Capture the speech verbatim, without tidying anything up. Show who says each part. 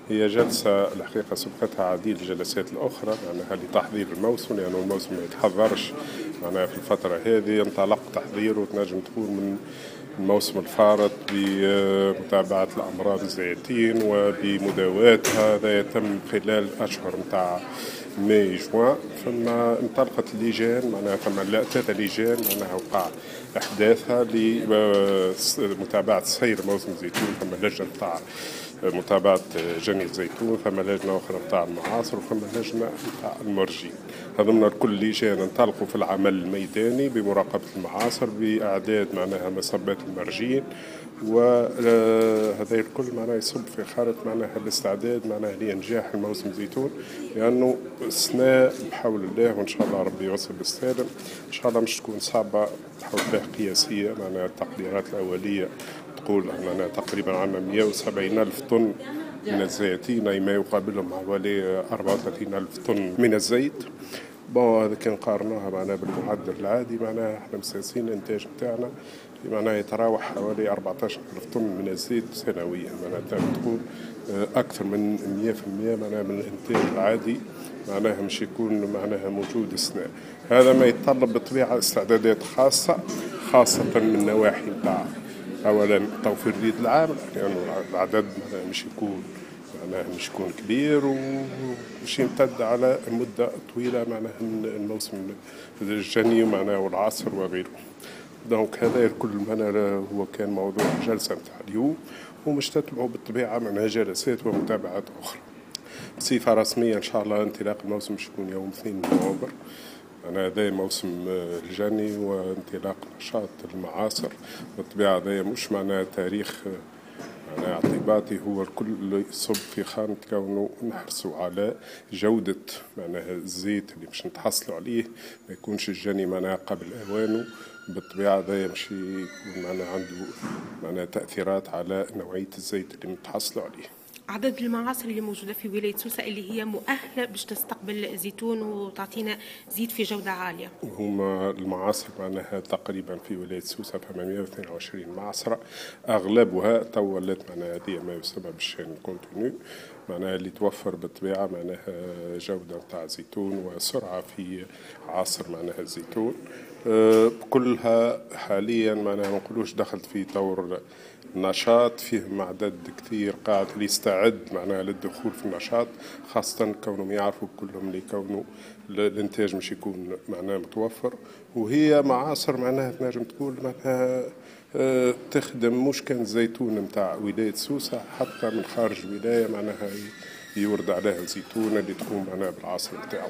Speaker 1: هي جلسة الحقيقة سبقتها عديد الجلسات الأخرى معناها لتحضير الموسم، لأنه الموسم ما يتحضرش معناها في الفترة هذه. انطلق تحضيره وتنجم تكون من الموسم الفارط بمتابعة الأمراض الزيتين وبمداواتها، هذا يتم خلال أشهر نتاع ماي جوان. ثم انطلقت اللجان، معناها ثم ثلاثة لجان معناها وقع أحداثها لمتابعة سير موسم الزيتون. ثم لجنة نتاع متابعة جني الزيتون، ثم لجنة أخرى نتاع المعاصر، وثم لجنة نتاع المرجين. هذوما الكل لجان انطلقوا في العمل الميداني بمراقبة المعاصر، بإعداد معناها مصبات المرجين، وهذا الكل معناها يصب في خارط معناها الاستعداد معناها لإنجاح الموسم الزيتون، لأنه السنة بحول الله وإن شاء الله ربي يوصل بالسالم، إن شاء الله مش تكون صعبة بحول الله قياسية. معناها التقديرات الأولية تقول معناها تقريبا عندنا مئة وسبعين ألف طن من الزيتين، أي ما يقابلهم حوالي أربعة وثلاثين ألف طن من الزيت. bon هذا كان قارناها معناها بالمعدل العادي، معناها احنا مساسين الانتاج نتاعنا معناها يتراوح حوالي أربعة عشر ألف طن من الزيت سنويا، معناها تقول اكثر من مئة في المئة معناها من الانتاج العادي معناها مش يكون معناها موجود السنة. هذا ما يتطلب بالطبيعة استعدادات خاصة، خاصة من النواحي نتاع اولا توفير اليد العامل، لانه يعني العدد معناها مش يكون معناها مش يكون كبير ومش يمتد على مدة طويلة معناها من الموسم الجني معناها والعصر وغيره. donc هذا الكل معناها هو كان موضوع الجلسة نتاع اليوم، ومش تتبعه بالطبيعة معناها جلسات ومتابعات أخرى. بصفة رسمية إن شاء الله انطلاق الموسم مش يكون يوم اثنين نوفمبر، معناها هذا موسم الجني وانطلاق نشاط المعاصر. بالطبيعة هذا مش معناها تاريخ معناها اعتباطي، هو الكل يصب في خانة كونه نحرصوا على جودة معناها الزيت اللي باش نتحصلوا عليه، ما يكونش الجني معناها قبل أوانه. بالطبيعة هذا مش يكون معناها عنده معناها تأثيرات على نوعية الزيت اللي نتحصلوا عليه.
Speaker 2: عدد المعاصر اللي موجودة في ولاية سوسة اللي هي مؤهلة باش تستقبل زيتون وتعطينا زيت في جودة عالية،
Speaker 1: هما المعاصر معناها تقريبا في ولاية سوسة فما مئة واثنين وعشرين معصرة، أغلبها تو ولات معناها هذه ما يسمى بال chaîne continue، معناها اللي توفر بالطبيعة معناها جودة نتاع زيتون وسرعة في عصر معناها الزيتون. أه كلها حاليا معناها ما نقولوش دخلت في طور نشاط، فيهم عدد كثير قاعد اللي يستعد معناها للدخول في النشاط، خاصة كونهم يعرفوا كلهم اللي كونه الانتاج مش يكون معناها متوفر. وهي معاصر معناها تنجم تقول معناها اه تخدم مش كان زيتون نتاع ولاية سوسة، حتى من خارج الولاية معناها يورد عليها الزيتون اللي تكون معناها بالعصر نتاعو.